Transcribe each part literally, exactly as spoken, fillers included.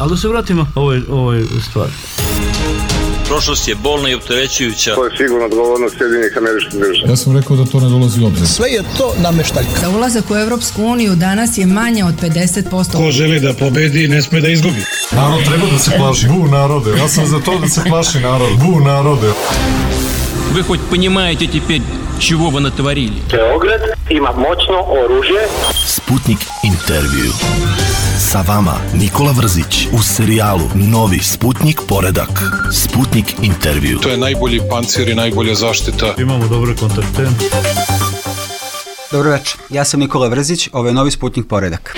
Ali da se vratimo ovoj, ovoj stvari. Prošlost je bolna i opterećujuća. To je sigurno odgovornost Sjedinjenih Američkih Država. Ja sam rekao da to ne dolazi u obzir. Sve je to nameštaljka. Za ulazak u Evropsku uniju danas je manje od pedeset posto. Ko želi da pobedi, ne sme da izgubi. Narod treba da se plaši. Bu narode. Ja sam za to da se plaši narod. Bu narode. Вы хоть понимаете теперь, чего вы натворили? Beograd ima moćno oružje. Sputnik intervju. Sa vama Nikola Vrzić u serijalu Novi Sputnik poredak. Sputnik intervju. To je najbolji pancir i najbolja zaštita. Imamo dobre kontakte. Dobro večer, ja sam Nikola Vrzić, ovo je Novi Sputnik poredak.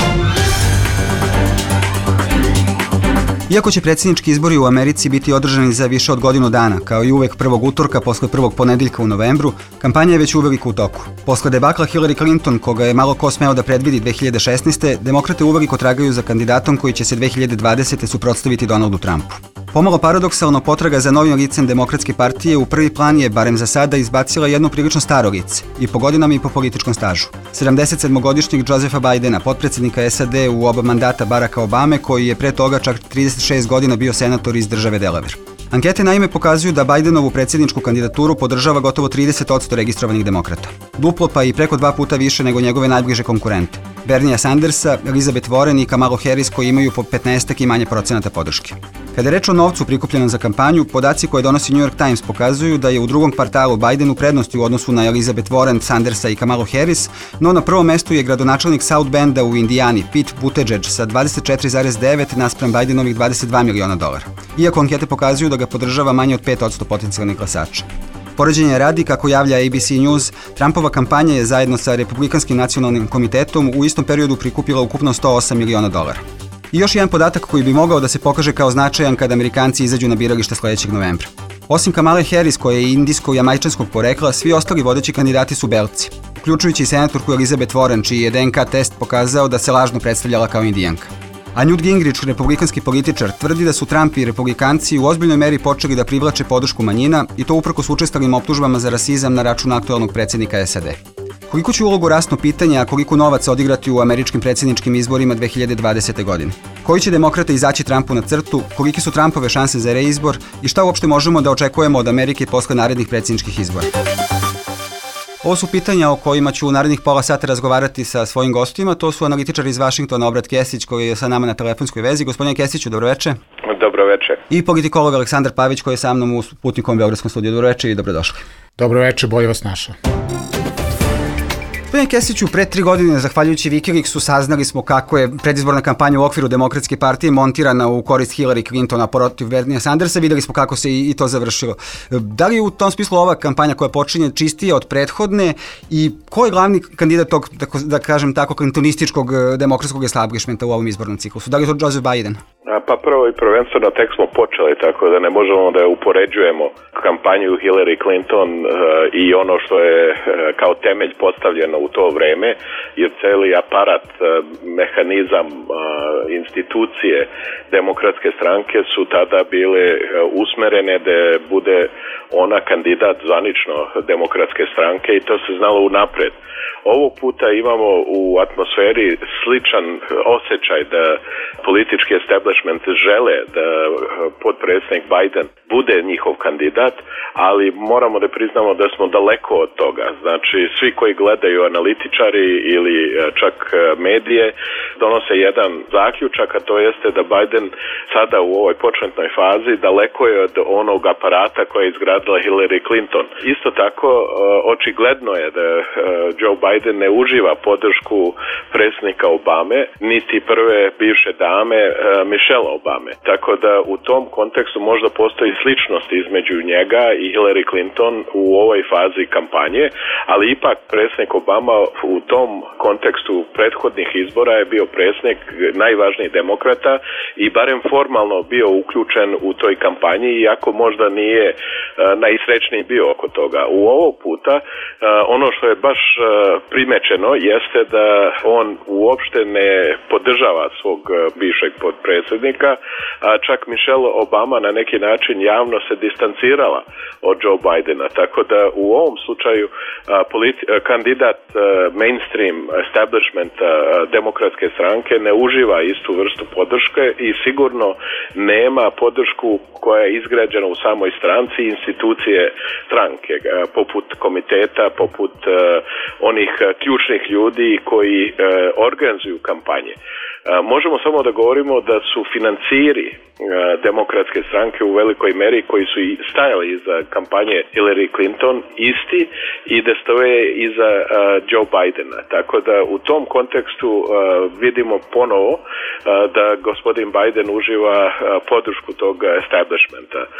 Iako će predsjednički izbori u Americi biti održani za više od godinu dana, kao i uvek prvog utorka posle prvog ponedeljka u novembru, kampanja je već uveliko u toku. Posle debakla Hillary Clinton, koga je malo ko smeo da predvidi dve hiljade šesnaeste. demokrate uveliko tragaju za kandidatom koji će se dve hiljade dvadesete. suprotstaviti Donaldu Trumpu. Pomalo paradoksalno, potraga za novim licem Demokratske partije u prvi plan je, barem za sada, izbacila jedno prilično staro lice, i po godinama i po političkom stažu. sedamdesetsedmogodišnjeg Josepha Bidena, potpredsjednika S A D u oba mandata Baracka Obame, koji je pre toga čak trideset šest godina bio senator iz države Delaware. Ankete naime pokazuju da Bidenovu predsjedničku kandidaturu podržava gotovo trideset posto registrovanih demokrata. Duplo pa i preko dva puta više nego njegove najbliže konkurente, Bernia Sandersa, Elizabeth Warren i Kamalu Harris, koji imaju po petnaestak i manje procenata podrške. Kada je reč o novcu prikupljenom za kampanju, podaci koje donosi New York Times pokazuju da je u drugom kvartalu Biden u prednosti u odnosu na Elizabeth Warren, Sandersa i Kamalu Harris, no na prvom mestu je gradonačelnik South Benda u Indijani, Pete Buttigieg, sa dvadeset četiri zarez devet naspram Bidenovih dvadeset dva miliona dolara. Iako ankete pokazuju da ga podržava manje od pet posto potencijalnih glasača. Poređenje radi, kako javlja A B C News, Trumpova kampanja je zajedno sa Republikanskim nacionalnim komitetom u istom periodu prikupila ukupno sto osam miliona dolara. I još jedan podatak koji bi mogao da se pokaže kao značajan kada Amerikanci izađu na biralište sledećeg novembra. Osim Kamale Harris, koja je indijsko-jamajčanskog porekla, svi ostali vodeći kandidati su belci, uključujući i senatorku Elizabeth Warren, čiji je D N K test pokazao da se lažno predstavljala kao Indijanka. A Newt Gingrich, republikanski političar, tvrdi da su Trump i republikanci u ozbiljnoj meri počeli da privlače podršku manjina, i to uprkos učestalim optužbama za rasizam na račun aktualnog predsjednika S A D. Koliko će ulogu rasno pitanje, a koliko novaca odigrati u američkim predsjedničkim izborima dve hiljade dvadesete. godine? Koji će demokrate izaći Trumpu na crtu, koliki su Trumpove šanse za reizbor i šta uopšte možemo da očekujemo od Amerike posle narednih predsjedničkih izbora? Ovo su pitanja o kojima ću u narednih pola sata razgovarati sa svojim gostima. To su analitičar iz Vašingtona, Obrat Kesić, koji je sa nama na telefonskoj vezi. Gospodine Kesiću, dobroveče. Dobroveče. I politikolog Aleksandar Pavić, koji je sa mnom u Sputnikovom beogradskom studiju. Dobroveče i dobrodošli. Dobroveče, bolje vas našao. Gospodine Kesiću, pre tri godine, zahvaljujući Wikileaksu, saznali smo kako je predizborna kampanja u okviru Demokratske partije montirana u korist Hillary Clintona protiv Bernia Sandersa. Videli smo kako se i to završilo. Da li je u tom smislu ova kampanja koja počinje čistija od prethodne i ko je glavni kandidat tog, da kažem tako, clintonističkog demokratskog establishmenta u ovom izbornom ciklusu? Da li je to Joseph Biden? Pa prvo i prvenstveno tek smo počeli, tako da ne možemo da upoređujemo kampanju Hillary Clinton uh, i ono što je uh, kao temelj postavljeno u to vreme, jer celi aparat, uh, mehanizam, uh, institucije Demokratske stranke su tada bile uh, usmerene da bude ona kandidat zvanično Demokratske stranke i to se znalo unapred. Ovog puta imamo u atmosferi sličan osjećaj da politički establishment žele da potpredsjednik Biden bude njihov kandidat, ali moramo da priznamo da smo daleko od toga. Znači, svi koji gledaju, analitičari ili čak medije, donose jedan zaključak, a to jeste da Biden sada u ovoj početnoj fazi daleko je od onog aparata koje je izgradila Hillary Clinton. Isto tako, očigledno je da Joe Biden ne uživa podršku predsjednika Obame, niti prve bivše dame Michelle Obame. Tako da u tom kontekstu možda postoji sličnost između njega i Hillary Clinton u ovoj fazi kampanje, ali ipak predsjednik Obama u tom kontekstu prethodnih izbora je bio predsjednik najvažnijih demokrata i barem formalno bio uključen u toj kampanji, iako možda nije uh, najsrećniji bio oko toga. U ovog puta uh, ono što je baš uh, primečeno jeste da on uopšte ne podržava svog uh, bivšeg podpredsjednika predsjednika, a čak Michelle Obama na neki način javno se distancirala od Joe Bidena, tako da u ovom slučaju a, politi- kandidat a, mainstream establishmenta a, demokratske stranke ne uživa istu vrstu podrške i sigurno nema podršku koja je izgrađena u samoj stranci i institucije stranke, a, poput komiteta, poput a, onih a, ključnih ljudi koji a, organizuju kampanje. A, možemo samo da govorimo da su financiri demokratske stranke u velikoj meri koji su i stajali iza kampanje Hillary Clinton isti i da stoje iza uh, Joe Bidena. Tako da u tom kontekstu uh, vidimo ponovo uh, da gospodin Biden uživa uh, podršku tog establishmenta. Uh,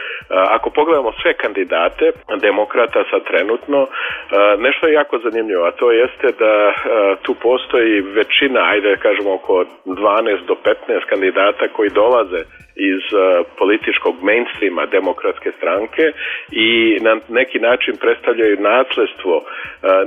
ako pogledamo sve kandidate demokrata sad trenutno, uh, nešto je jako zanimljivo, a to jeste da uh, tu postoji većina, ajde kažemo oko dvanaest do petnaest kandidata koji dolaze iz uh, političkog mainstreama demokratske stranke i na neki način predstavljaju nasljedstvo uh,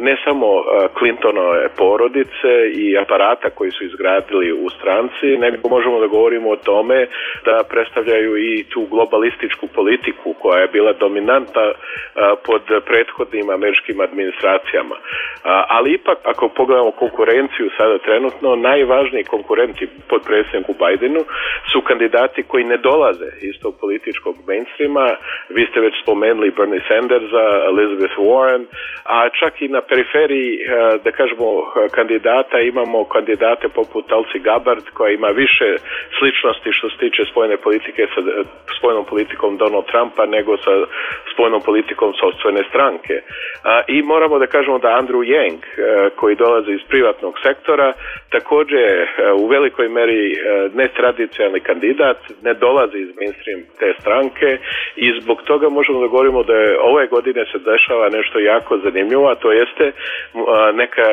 ne samo uh, Clintonove porodice i aparata koji su izgradili u stranci, nego možemo da govorimo o tome da predstavljaju i tu globalističku politiku koja je bila dominanta uh, pod prethodnim američkim administracijama. Uh, ali ipak, ako pogledamo konkurenciju sada trenutno, najvažniji konkurenti pod predsjedniku Bidenu su kandidati koji ne dolaze iz tog političkog mainstreama. Vi ste već spomenuli Bernie Sandersa, Elizabeth Warren, a čak i na periferiji, da kažemo, kandidata imamo kandidate poput Tulsi Gabbard koja ima više sličnosti što se tiče spoljne politike sa spoljnom politikom Donald Trumpa nego sa spoljnom politikom sopstvene stranke. I moramo da kažemo da Andrew Yang, koji dolazi iz privatnog sektora, također u velikoj meri netradicionalni kandidat, ne dolazi iz mainstream te stranke i zbog toga možemo da govorimo da je ove godine se dešava nešto jako zanimljivo, a to jeste neka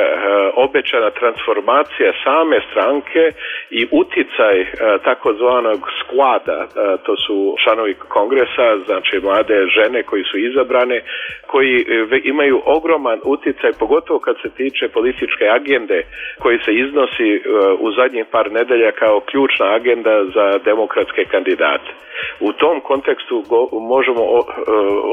obećana transformacija same stranke i uticaj takozvanog squada, to su članovi kongresa, znači mlade žene koji su izabrane, koji imaju ogroman uticaj, pogotovo kad se tiče političke agende koji se iznosi u zadnjih par nedelja kao ključna agenda za demokratske kandidate. U tom kontekstu go, možemo o,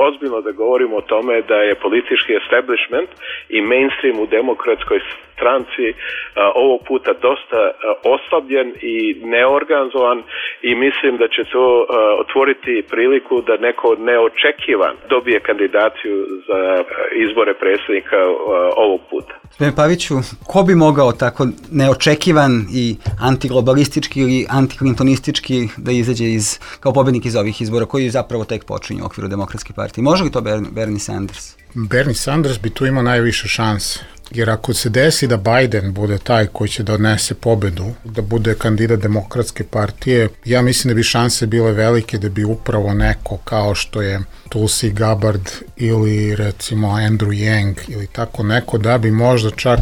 ozbiljno da govorimo o tome da je politički establishment i mainstream u demokratskoj stranci a, ovog puta dosta a, oslabljen i neorganizovan i mislim da će to a, otvoriti priliku da neko neočekivan dobije kandidaciju za a, izbore predsjednika a, ovog puta. Gospodine Paviću, ko bi mogao tako neočekivan i antiglobalistički ili antiklintonistički da izađe iz, kao pobednik iz ovih izbora koji zapravo tek počinju u okviru Demokratske partije? Može li to Bernie Sanders? Bernie Sanders bi tu imao najviše šanse. Jer ako se desi da Biden bude taj koji će da odnese pobedu, da bude kandidat Demokratske partije, ja mislim da bi šanse bile velike da bi upravo neko kao što je Tulsi Gabbard ili recimo Andrew Yang ili tako neko, da bi možda čak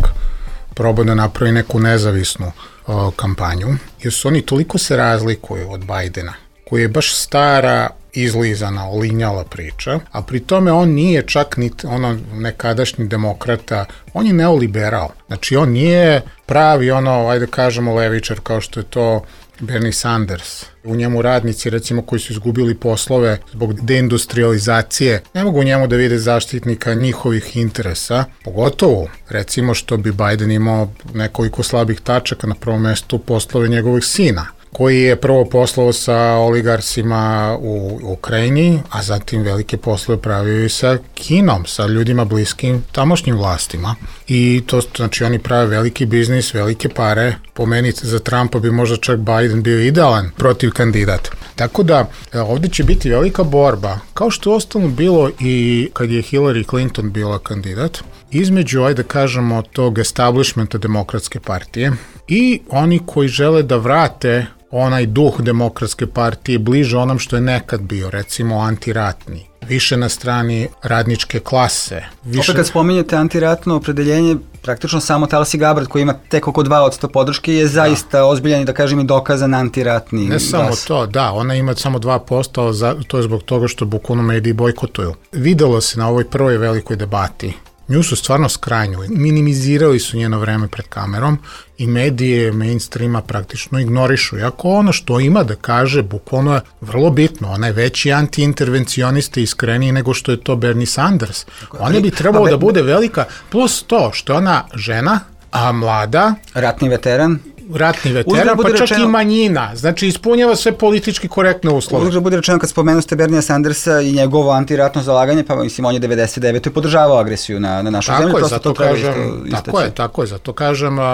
probao da napravi neku nezavisnu o, kampanju, jer su oni toliko se razlikuju od Bidena, koji je baš stara, izlizana, olinjala priča, a pri tome on nije čak ni ono nekadašnji demokrata, on je neoliberal. Znači on nije pravi ono, ajde kažemo, levičar kao što je to Bernie Sanders. U njemu radnici, recimo, koji su izgubili poslove zbog deindustrializacije, ne mogu u njemu da vide zaštitnika njihovih interesa, pogotovo, recimo, što bi Biden imao nekoliko slabih tačaka, na prvom mestu poslove njegovih sina, koji je prvo poslovao sa oligarsima u Ukrajini, a zatim velike poslove pravio i sa Kinom, sa ljudima bliskim tamošnjim vlastima. I to, znači, oni prave veliki biznis, velike pare. Po meni za Trumpa bi možda čak Biden bio idealan protiv kandidat. Tako da ovdje će biti velika borba, kao što je ostalo bilo i kad je Hillary Clinton bila kandidat, između, ajde kažemo, tog establishmenta Demokratske partije i oni koji žele da vrate onaj duh Demokratske partije bliže onom što je nekad bio, recimo antiratni, više na strani radničke klase. Više... Opet kad spominjete antiratno opredeljenje, praktično samo Tulsi Gabbard koji ima tek oko dva posto podrške je zaista da. ozbiljan i da kažem i dokazan antiratni Ne glas. samo to, da, ona ima samo dva posto, ali to je zbog toga što bukvalno mediji bojkotuju. Videlo se na ovoj prvoj velikoj debati nju su stvarno skrajnjili. Minimizirali su njeno vreme pred kamerom i medije mainstreama praktično ignorišu. Iako ono što ima da kaže, bukvalno je vrlo bitno. Ona je veći anti-intervencionista i iskreniji nego što je to Bernie Sanders. Ona bi trebalo da bude velika, plus to što je ona žena, a mlada. Ratni veteran. ratni veteran, pa čak rečeno, i manjina. Znači, ispunjava sve politički korektne uslove. Uzgled bude rečeno, kad spomenu ste Bernija Sandersa i njegovo antiratno zalaganje, pa mislim, on je devedeset devete podržavao agresiju na, na našu tako zemlju. Je, zato kažem, tako je, tako je, zato kažem, uh,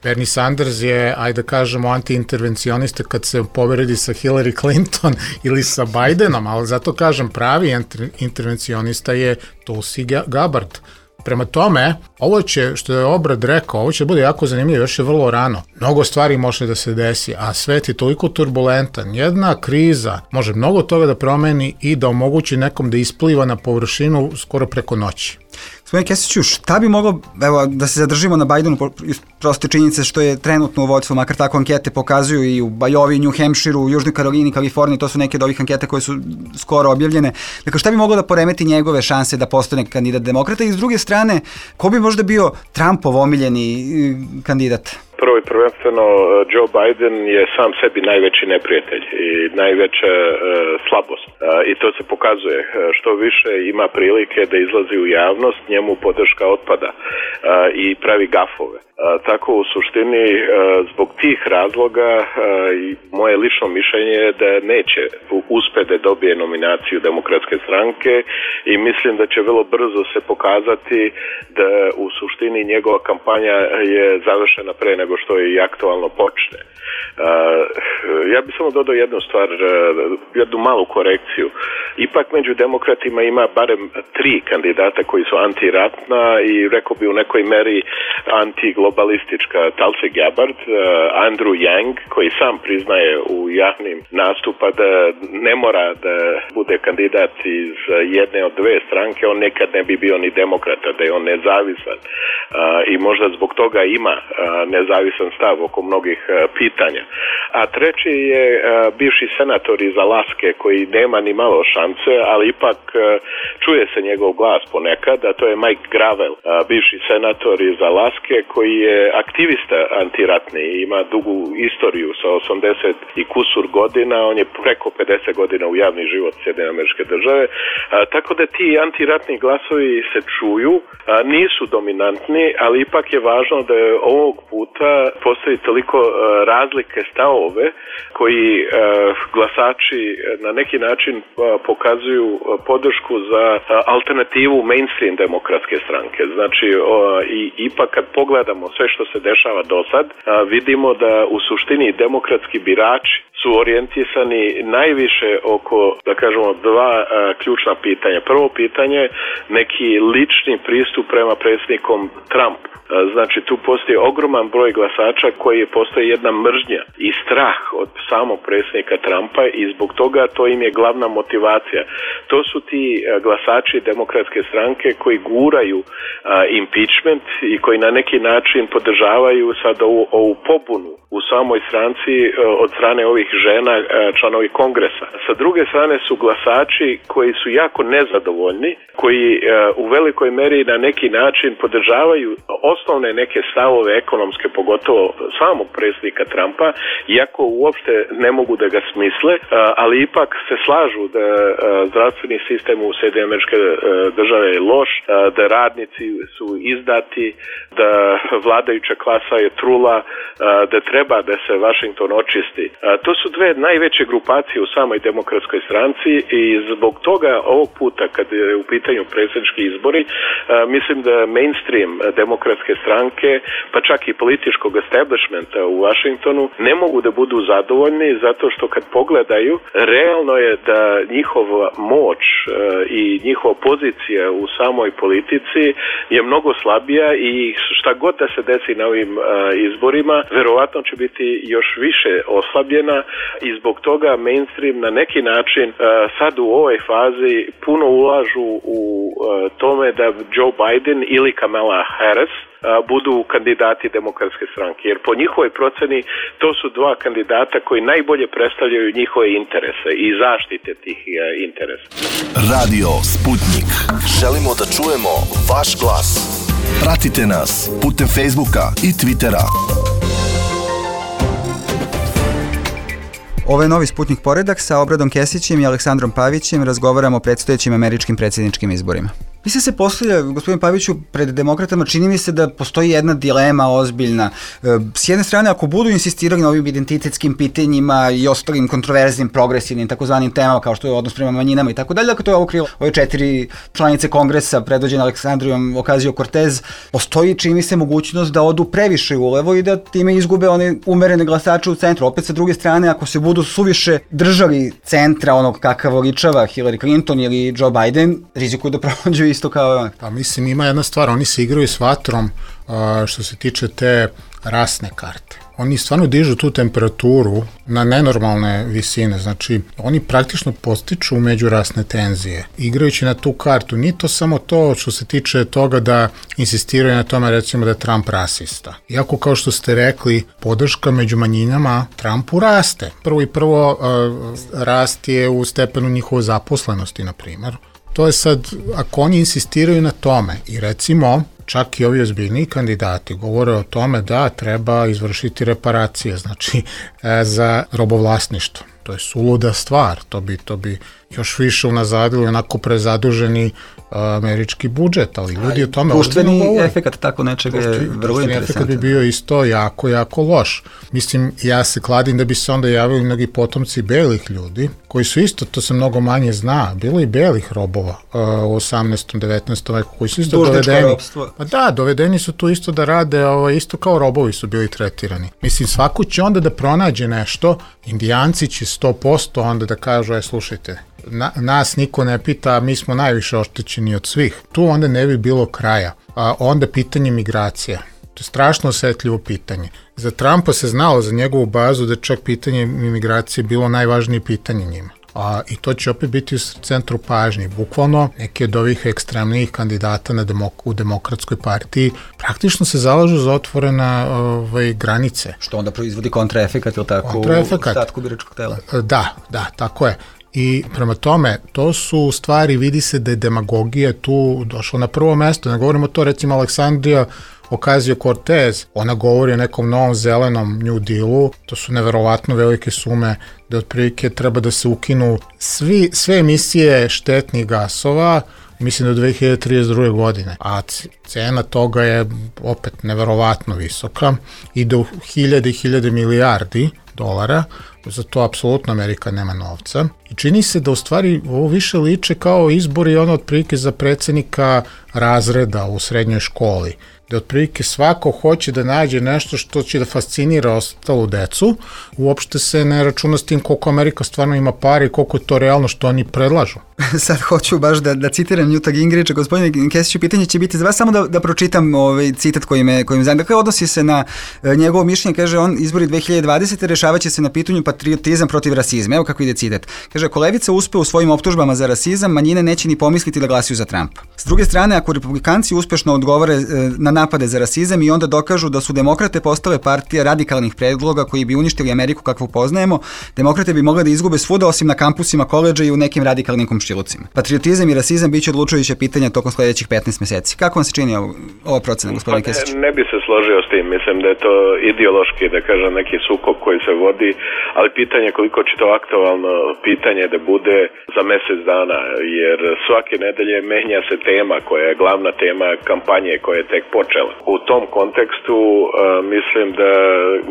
Bernie Sanders je, ajde da kažemo, anti-intervencionista kad se poveredi sa Hillary Clinton ili sa Bidenom, ali zato kažem, pravi intervencionista je Tulsi Gabbard. Prema tome, ovo će, što je Obrad rekao, ovo će bude jako zanimljivo, još je vrlo rano. Mnogo stvari može da se desi, a svet je toliko turbulentan. Jedna kriza može mnogo toga da promeni i da omogući nekom da ispliva na površinu skoro preko noći. Gospodin Kesiću, šta bi moglo, evo, da se zadržimo na Bidenu, proste činjenice što je trenutno u vođstvu, makar tako ankete pokazuju i u Bajovi, New Hampshireu, u Južnoj Karolini, Kaliforniji, to su neke od ovih anketa koje su skoro objavljene. Dakle, šta bi moglo da poremeti njegove šanse da postane kandidat demokrata i s druge strane, ko bi možda bio Trumpov omiljeni kandidat? Prvo i prvenstveno, Joe Biden je sam sebi najveći neprijatelj i najveća uh, slabost. Uh, I to se pokazuje. Što više ima prilike da izlazi u javnost, njemu podrška otpada uh, i pravi gafove. Uh, tako u suštini, uh, zbog tih razloga, uh, i moje lično mišljenje je da neće uspjeti da dobije nominaciju Demokratske stranke i mislim da će vrlo brzo se pokazati da u suštini njegova kampanja je završena pre nego što je i aktualno počne. Uh, ja bih samo dodao jednu stvar, uh, jednu malu korekciju. Ipak među demokratima ima barem tri kandidata koji su antiratna i rekao bi u nekoj meri antiglobalistička. Tulsi Gabbard, uh, Andrew Yang, koji sam priznaje u javnim nastupa da ne mora da bude kandidat iz jedne od dve stranke, on nekad ne bi bio ni demokrata, da je on nezavisan. Uh, I možda zbog toga ima uh, nezavisan stav oko mnogih uh, pitanja. A treći je uh, bivši senator iz Alaske koji nema ni malo šance, ali ipak uh, čuje se njegov glas ponekad, a to je Mike Gravel, uh, bivši senator iz Alaske koji je aktivista antiratni i ima dugu istoriju sa osamdeset i kusur godina, on je preko pedeset godina u javni život Sjedinjenih Američke Države, uh, tako da ti antiratni glasovi se čuju, uh, nisu dominantni, ali ipak je važno da je ovog puta postoji toliko uh, razlike stavove koji uh, glasači na neki način uh, pokazuju uh, podršku za uh, alternativu mainstream demokratske stranke. Znači, uh, i, ipak kad pogledamo sve što se dešava do sad, uh, vidimo da u suštini demokratski birači su orijentisani najviše oko, da kažemo, dva uh, ključna pitanja. Prvo pitanje, neki lični pristup prema predsjednikom Trump. Znači, tu postoji ogroman broj glasača koji postoji jedna mržnja i strah od samog predsjednika Trumpa i zbog toga to im je glavna motivacija. To su ti glasači Demokratske stranke koji guraju a, impeachment i koji na neki način podržavaju sad ovu, ovu pobunu u samoj stranci a, od strane ovih žena, a, članovi kongresa. Sa druge strane su glasači koji su jako nezadovoljni, koji a, u velikoj meri na neki način podržavaju osnovne neke stavove ekonomske, pogotovo samog predsjednika Trumpa, iako uopšte ne mogu da ga smisle, ali ipak se slažu da zdravstveni sistem u Sjedinjenih Američke Države je loš, da radnici su izdati, da vladajuća klasa je trula, da treba da se Washington očisti. To su dve najveće grupacije u samoj Demokratskoj stranci i zbog toga ovog puta, kad je u pitanju predsjednički izbori, mislim da mainstream Demokratske stranke, pa čak i političkog establishmenta u Washingtonu, ne mogu da budu zadovoljni zato što kad pogledaju, realno je da njihova moć i njihova pozicija u samoj politici je mnogo slabija i šta god da se desi na ovim izborima, verovatno će biti još više oslabljena i zbog toga mainstream na neki način sad u ovoj fazi puno ulažu u tome da Joe Biden ili Kamala Harris budu kandidati Demokratske stranke. Jer po njihovoj proceni to su dva kandidata koji najbolje predstavljaju njihove interese i zaštite tih interesa. Radio Sputnik. Želimo da čujemo vaš glas. Pratite nas putem Facebooka i Twittera. Ovo je novi Sputnik Poredak sa Obradom Kesićem i Aleksandrom Pavićem. Razgovaramo o predstojećim američkim predsjedničkim izborima. Mi se se postavlja, gospodin Paviću, pred demokratama čini mi se da postoji jedna dilema ozbiljna. S jedne strane, ako budu insistirali na ovim identitetskim pitanjima i ostalim kontroverznim, progresivnim, takozvanim temama, kao što je odnos prema manjinama i tako dalje, dakle to je ovo krilo, ove četiri članice kongresa predvođene Aleksandrijom Ocasio-Cortez, postoji, čini mi se, mogućnost da odu previše ulevo i da time izgube one umerene glasače u centru. Opet sa druge strane, ako se budu suviše držali centra onog kakav voličava Hillary Clinton ili Joe Biden, rizikuju da prođu isto kao on. Pa mislim, ima jedna stvar, oni se igraju s vatrom a, što se tiče te rasne karte. Oni stvarno dižu tu temperaturu na nenormalne visine, znači oni praktično postiču međurasne tenzije. Igrajući na tu kartu, nije to samo to što se tiče toga da insistiraju na tome, recimo da je Trump rasista. Iako, kao što ste rekli, podrška među manjinama Trumpu raste. Prvo i prvo uh, rast je u stepenu njihove zaposlenosti, na primjer. To je sad, ako oni insistiraju na tome i recimo čak i ovi ozbiljniji kandidati govore o tome da treba izvršiti reparacije, znači e, za robovlasništvo. To je suluda stvar, to bi, to bi još više unazadili onako prezaduženi američki budžet, ali ljudi o tome društveni efekat tako nečega je vrlo interesantan. Efekat bi bio isto jako, jako loš. Mislim, ja se kladim da bi se onda javili mnogi potomci belih ljudi, koji su isto, to se mnogo manje zna, bilo i belih robova uh, u osamnaestom. devetnaestom veku, koji su isto dovedeni. Pa da, dovedeni su tu isto da rade, ovaj, isto kao robovi su bili tretirani. Mislim, svako će onda da pronađe nešto, Indijanci će sto posto onda da kažu, aj slušajte, Na, nas niko ne pita, mi smo najviše oštećeni od svih. Tu onda ne bi bilo kraja. A onda pitanje migracija. To je strašno osetljivo pitanje. Za Trumpa se znalo, za njegovu bazu, da čak pitanje imigracije bilo najvažnije pitanje njima. A, I to će opet biti u centru pažnje. Bukvalno neki od ovih ekstremnijih kandidata na demok u demokratskoj partiji praktično se zalažu za otvorena ovaj, granice. Što onda proizvodi kontraefekat ili tako kontraefekat. U ostatku biračkog tela? Da, da, tako je. I prema tome, to su stvari, vidi se da je demagogija tu došla na prvo mesto. Ne govorimo to, recimo, Aleksandrija Ocasio-Cortez, ona govori o nekom novom zelenom New Dealu, to su neverovatno velike sume, da otprilike treba da se ukinu svi, sve emisije štetnih gasova, mislim do dve hiljade trideset druge. godine, a cena toga je opet neverovatno visoka, ide u hiljade i hiljade milijardi dolara, za to apsolutno Amerika nema novca. I čini se da u stvari ovo više liče kao izbori ono otprilike za predsjednika razreda u srednjoj školi, da otprilike svako hoće da nađe nešto što će da fascinira ostalu decu, uopšte se ne računa s tim koliko Amerika stvarno ima pare i koliko je to realno što oni predlažu. Sad hoću baš da, da citiram Newta Gingricha, gospodine Kesiću, pitanje će biti za vas, samo da, da pročitam ovaj citat koji me, koji me zanima. Dakle, odnosi se na e, njegovo mišljenje, kaže on, izbori dve hiljade dvadesete. rešavat će se na pitanju patriotizam protiv rasizma. Evo kako ide citat. Kaže, ako levica uspe u svojim optužbama za rasizam, manjine neće ni pomisliti da glasaju za Trumpa. S druge strane, ako republikanci uspešno odgovore e, na napade za rasizam i onda dokažu da su demokrate postale partija radikalnih predloga koji bi uništili Ameriku kakvu poznajemo, demokrate bi mogle da izgube svuda osim na kampusima koledža i u nekim radikalnim komšilucima. Patriotizam i rasizam biće odlučujuće pitanja tokom sledećih petnaest meseci. Kako vam se čini ovo, ova procena, gospodine Kesić? Pa ne, ne bi se složio s tim, mislim da je to ideološki, da kažem, neki sukob koji se vodi, ali pitanje koliko će to aktualno pitanje da bude za mesec dana, jer svake nedelje menja se tema koja je glavna tema kampanje koja je tek počela. U tom kontekstu uh, mislim da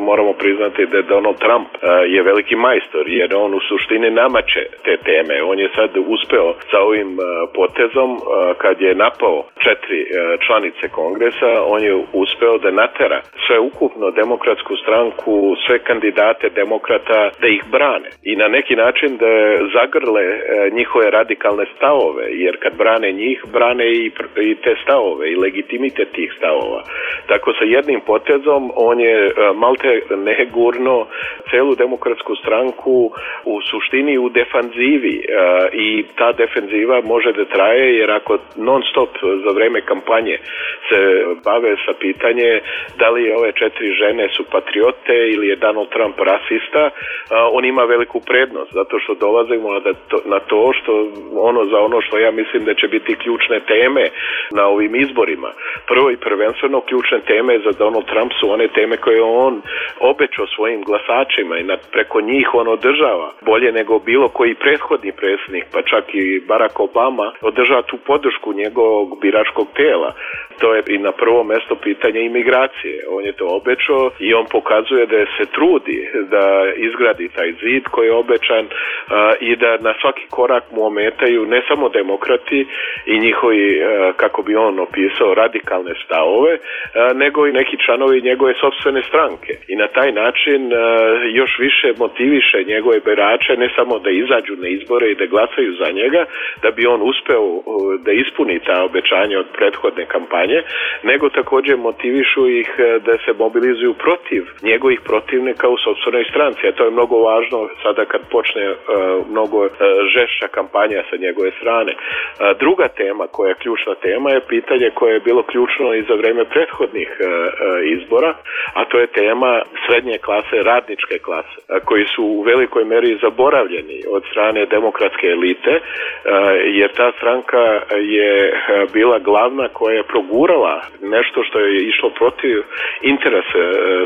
moramo priznati da Donald Trump uh, je veliki majstor, jer on u suštini namače te teme. On je sad uspeo sa ovim uh, potezom, uh, kad je napao četiri uh, članice kongresa, on je uspeo da natera sve ukupno demokratsku stranku, sve kandidate demokrata da ih brane i na neki način da zagrle uh, njihove radikalne stavove, jer kad brane njih, brane i, i te stavove i legitimitet tih stavova. stavova. Tako sa jednim potezom on je malte ne gurno celu demokratsku stranku u suštini u defanzivi i ta defenziva može da traje jer ako non stop za vreme kampanje se bave sa pitanje da li ove četiri žene su patriote ili je Donald Trump rasista, on ima veliku prednost zato što dolazimo na to što ono za ono što ja mislim da će biti ključne teme na ovim izborima. Prvo i prvenstveno ključne teme za Donald Trump su one teme koje on obećao svojim glasačima i preko njih on održava bolje nego bilo koji prethodni predsjednik, pa čak i Barack Obama održava tu podršku njegovog biračkog tela. To je i na prvo mesto pitanje imigracije. On je to obećao i on pokazuje da se trudi da izgradi taj zid koji je obećan uh, i da na svaki korak mu ometaju ne samo demokrati i njihovi, uh, kako bi on opisao, radikalne stavove, uh, nego i neki članovi njegove sopstvene stranke. I na taj način uh, još više motiviše njegove birače ne samo da izađu na izbore i da glasaju za njega, da bi on uspeo uh, da ispuni ta obećanja od prethodne kampanje, nego također motivišu ih da se mobilizuju protiv njegovih protivnika u sopstvenoj stranci. A to je mnogo važno sada kad počne uh, mnogo uh, žešća kampanja sa njegove strane. Uh, druga tema koja je ključna tema je pitanje koje je bilo ključno i za vreme prethodnih uh, uh, izbora, a to je tema srednje klase, radničke klase, uh, koji su u velikoj meri zaboravljeni od strane demokratske elite, uh, jer ta stranka je uh, bila glavna koja je progurala nešto što je išlo protiv interesa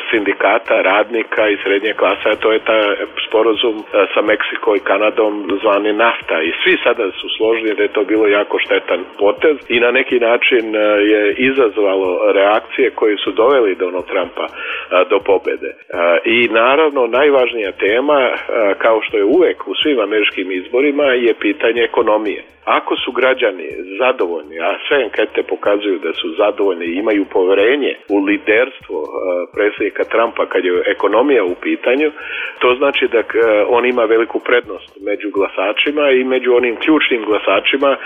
sindikata, radnika i srednje klase, a to je ta sporazum sa Meksikom i Kanadom zvani NAFTA. I svi sada su složni da je to bilo jako štetan potez i na neki način je izazvalo reakcije koje su doveli Donald Trumpa do pobede. I naravno najvažnija tema, kao što je uvek u svim američkim izborima, je pitanje ekonomije. Ako su građani zadovoljni, a sve ankete pokazuju da su zadovoljni i imaju poverenje u liderstvo uh, predsjednika Trumpa kad je ekonomija u pitanju, to znači da uh, on ima veliku prednost među glasačima i među onim ključnim glasačima, uh,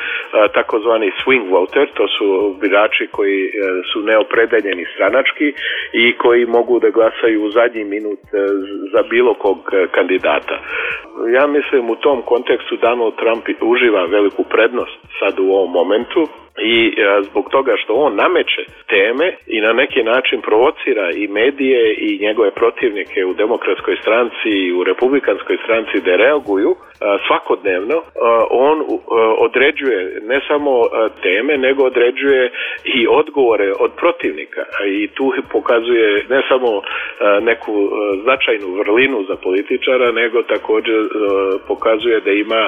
takozvani swing voter, to su birači koji uh, su neopredeljeni stranački i koji mogu da glasaju u zadnji minut uh, za bilo kog uh, kandidata. Ja mislim u tom kontekstu Donald Trump uživa veliku prednost sad u ovom momentu i a, zbog toga što on nameće teme i na neki način provocira i medije i njegove protivnike u demokratskoj stranci i u republikanskoj stranci da reaguju a, svakodnevno, a, on a, određuje ne samo a, teme, nego određuje i odgovore od protivnika i tu pokazuje ne samo a, neku a, značajnu vrlinu za političara, nego također a, pokazuje da ima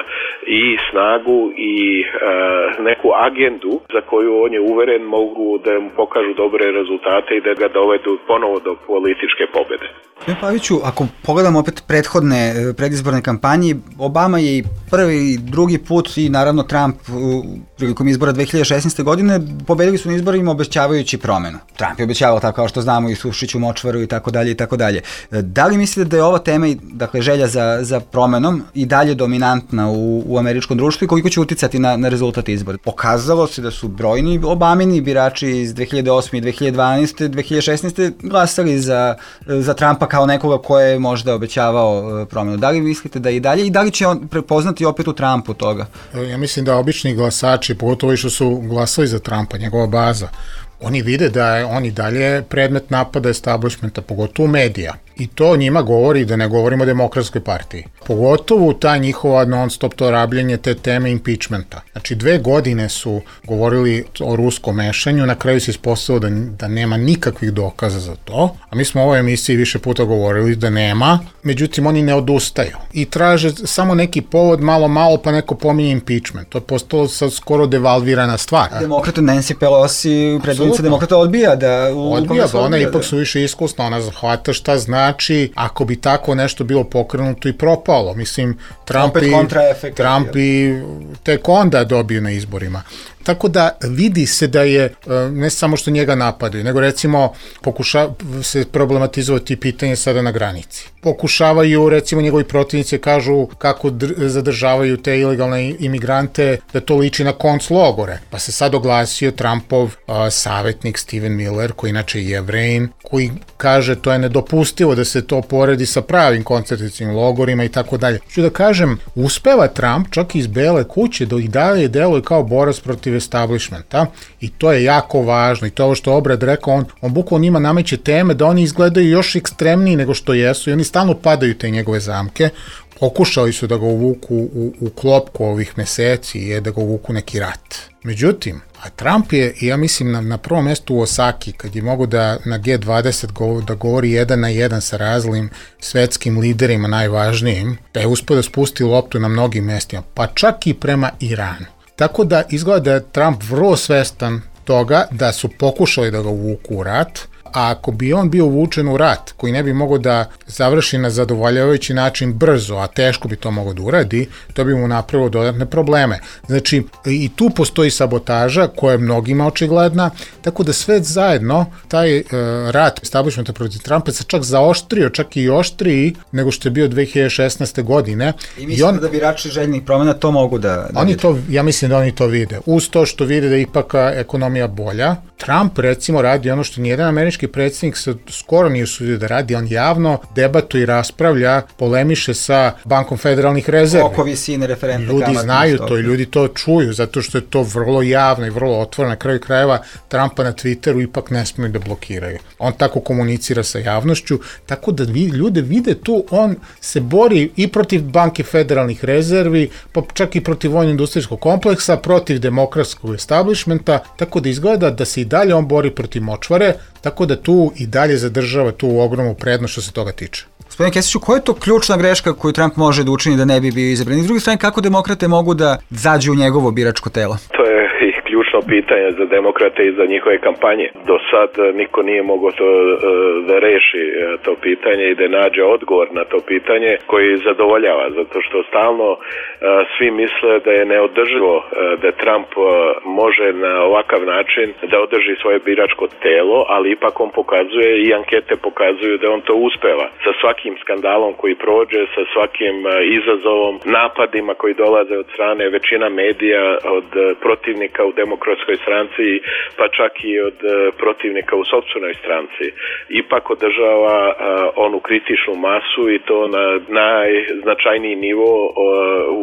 i snagu i a, neku agendu za koju on je uveren mogu da mu pokažu dobre rezultate i da ga dovedu ponovo do političke pobede. Paviću, ako pogledamo opet prethodne predizborne kampanje, Obama je i prvi i drugi put i naravno Trump prilikom izbora dve hiljade šesnaeste. godine pobedili su na izborima obećavajući promenu. Trump je obećavao tako kao što znamo i Sušiću, Močvaru i tako dalje i tako dalje. Da li mislite da je ova tema, dakle želja za, za promenom i dalje dominantna u, u američkom društvu i koliko će uticati na, na rezultat izbora? Pokazalo se da su brojni Obamini birači iz dve hiljade osme i dve hiljade dvanaeste. dve hiljade šesnaeste. glasali za, za Trumpa kao nekoga ko je možda obećavao promenu. Da li mislite da i dalje i da li će on prepoznati opet u Trumpu toga? Ja mislim da obični glasači, pogotovo što su glasali za Trumpa, njegova baza, oni vide da je on i dalje predmet napada establishmenta, pogotovo medija. I to njima govori da ne govorimo o demokratskoj partiji. Pogotovo ta njihova non-stop to rabljenje te teme impeachmenta. Znači dve godine su govorili o ruskom mešanju, na kraju se ispostavilo da, da nema nikakvih dokaza za to, a mi smo u ovoj emisiji više puta govorili da nema, međutim oni ne odustaju i traže samo neki povod malo malo pa neko pominje impeachment. To je postalo sad skoro devalvirana stvar. Demokrata Nancy Pelosi, predvodnica demokrata, odbija da... U odbija, da ona ipak su više iskusna, ona zahvata šta zna. Znači, ako bi tako nešto bilo pokrenuto i propalo, mislim, Trump, i, Trump i tek onda dobio na izborima. Tako da vidi se da je, ne samo što njega napadaju, nego recimo pokuša se problematizovati pitanje sada na granici. Pokušavaju, recimo njegovi protivnici kažu kako zadržavaju te ilegalne imigrante, da to liči na konclogore. Pa se sad oglasio Trumpov uh, savjetnik Steven Miller, koji inače je Jevrejin, koji kaže to je nedopustivo da se to poredi sa pravim koncentracijnim logorima i tako dalje. Ću da kažem, uspeva Trump čak iz Bele kuće da ih dalje deluje kao borac protiv establishmenta i to je jako važno i to je ovo što Obrad rekao, on, on bukvalno njima nameće teme da oni izgledaju još ekstremniji nego što jesu i oni stalno padaju te njegove zamke. Pokušali su da ga uvuku u, u klopku ovih meseci i da ga uvuku neki rat. Međutim, a Trump je, ja mislim, na, na prvom mjestu u Osaki, kad je mogo da na G dvadeset govori, da govori jedan na jedan sa raznim svetskim liderima najvažnijim, da je uspio da spusti loptu na mnogim mjestima, pa čak i prema Iranu. Tako da izgleda da je Trump vrlo svestan toga da su pokušali da ga uvuku u rat, a ako bi on bio uvučen u rat koji ne bi mogao da završi na zadovoljavajući način brzo, a teško bi to mogao da uradi, to bi mu napravilo dodatne probleme. Znači, i tu postoji sabotaža koja je mnogima očigledna, tako da sve zajedno, taj uh, rat establishmenta protiv Trumpa se čak zaoštrio, čak i oštriji nego što je bio dve hiljade šesnaeste. godine. I mislim da birači željnih promjena to mogu da, da oni to, ja mislim da oni to vide. Uz to što vide da je ipak ekonomija bolja, Trump recimo radi ono što nijedan američki predsjednik se skoro nije usudio da radi, on javno debatuje i raspravlja, polemiše sa Bankom federalnih rezervi. Oko visine referentne ljudi kamatne znaju stope. to i ljudi to čuju, zato što je to vrlo javno i vrlo otvoreno. Na kraju krajeva Trumpa na Twitteru ipak ne smiju da blokiraju. On tako komunicira sa javnošću, tako da vi, ljude vide tu, on se bori i protiv Banke federalnih rezervi, pa čak i protiv vojno-industrijskog kompleksa, protiv demokratskog establishmenta, tako da izgleda da se i dalje on bori protiv močvare, tako da tu i dalje zadržava tu ogromnu prednost što se toga tiče. Gospodine Kesiću, koja je to ključna greška koju Trump može da učini da ne bi bio izabran? I s druge strane, kako demokrate mogu da zađu u njegovo biračko telo? To je i ključno pitanje za demokrate i za njihove kampanje. Do sad niko nije mogao to da reši to pitanje i da nađe odgovor na to pitanje koji zadovoljava, zato što stalno svi misle da je neodrživo da Trump može na ovakav način da održi svoje biračko telo, ali ipak on pokazuje i ankete pokazuju da on to uspeva. Sa svakim skandalom koji prođe, sa svakim izazovom, napadima koji dolaze od strane većina medija, od protivnika u demokratskoj stranci, pa čak i od protivnika u sopstvenoj stranci, ipak održava onu kritičnu masu i to na najznačajniji nivo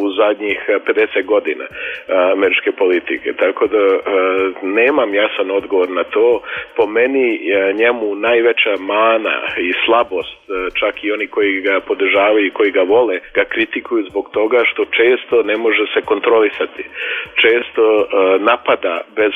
u zadnjih pedeset godina američke politike. Tako da nemam jasan odgovor na to. Po meni njemu najveća mana i slabost, čak i oni koji ga podržavaju i koji ga vole, ga kritikuju zbog toga što često ne može se kontrolisati. Često napada bez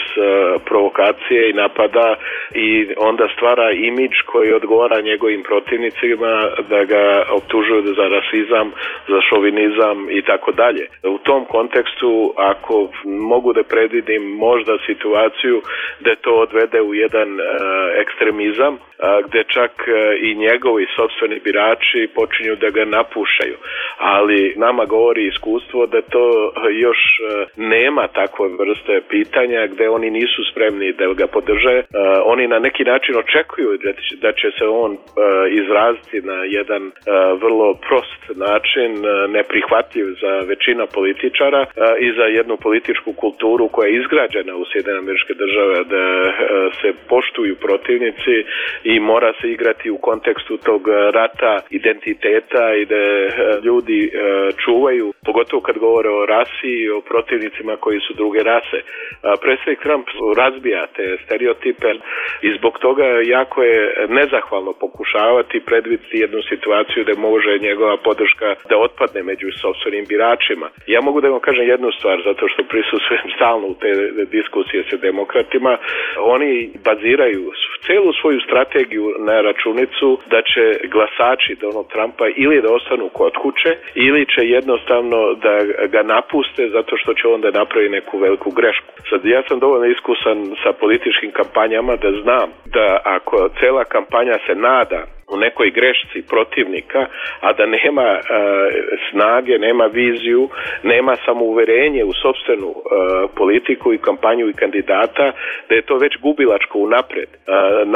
provokacije i napada i onda stvara imidž koji odgovara njegovim protivnicima da ga optužuju za rasizam, za šovinizam i tako dalje. U tom kontekstu, ako mogu da predvidim možda situaciju da to odvede u jedan uh, ekstremizam, uh, gde čak uh, i njegovi sopstveni birači počinju da ga napušaju. Ali nama govori iskustvo da to još uh, nema takve vrste pitanja gde oni nisu spremni da ga podrže. Uh, oni na neki način očekuju da će, da će se on uh, izraziti na jedan uh, vrlo prost način, uh, neprihvatljiv za većina političara uh, i za jednu političku kulturu koja je izgrađena u Sjedinjenim Američke Države, da uh, se poštuju protivnici i mora se igrati u kontekstu tog rata identiteta i da uh, ljudi uh, čuvaju, pogotovo kad govore o rasi i o protivnicima koji su druge rase. Uh, predsjednik Trump razbija te stereotipe i zbog toga jako je nezahvalno pokušavati predvidjeti jednu situaciju da može njegova podrška da otpadne među sopstvenim biračima. Ja mogu da vam kažem jednu stvar, zato što prisustvujem stalno u te diskusije sa demokratima. Oni baziraju celu svoju strategiju na računicu da će glasači Donald Trumpa ili da ostanu kod kuće ili će jednostavno da ga napuste zato što će onda napraviti neku veliku grešku. Sad, ja sam dovoljno iskusan sa političkim kampanjama da znam da ako cela kampanja se nada u nekoj grešci protivnika, a da nema uh, snage, nema viziju, nema samouverenje u sopstvenu uh, politiku i kampanju i kandidata, da je to već gubilačko unapred. Uh,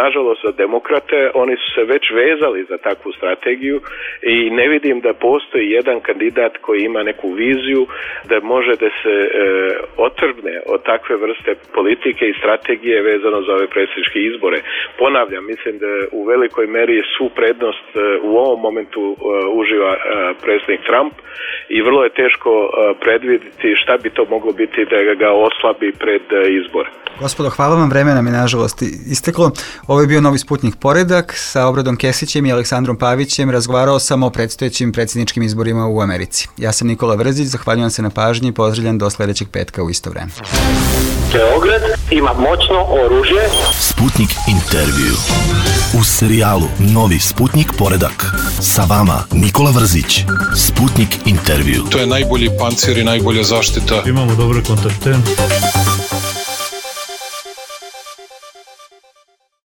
nažalost za demokrate, oni su se već vezali za takvu strategiju i ne vidim da postoji jedan kandidat koji ima neku viziju da može da se uh, otrgne od takve vrste politike i strategije vezano za ove predsjedničke izbore. Ponavljam, mislim da u velikoj meri su prednost u ovom momentu uživa predsjednik Trump i vrlo je teško predvidjeti šta bi to moglo biti da ga oslabi pred izbore. Gospodo, hvala vam, vreme nam je nažalost isteklo. Ovo je bio Novi Sputnik Poredak. Sa Obradom Kesićem i Aleksandrom Pavićem razgovarao sam o predstojećim predsjedničkim izborima u Americi. Ja sam Nikola Vrzić, zahvaljujem se na pažnji i pozdravljam do sledećeg petka u isto vreme. Beograd ima moćno oružje. Sputnik intervju. U serijalu Novi Sputnik Poredak. Sa vama Nikola Vrzić. Sputnik intervju. To je najbolji pancir i najbolja zaštita. Imamo dobre kontakte.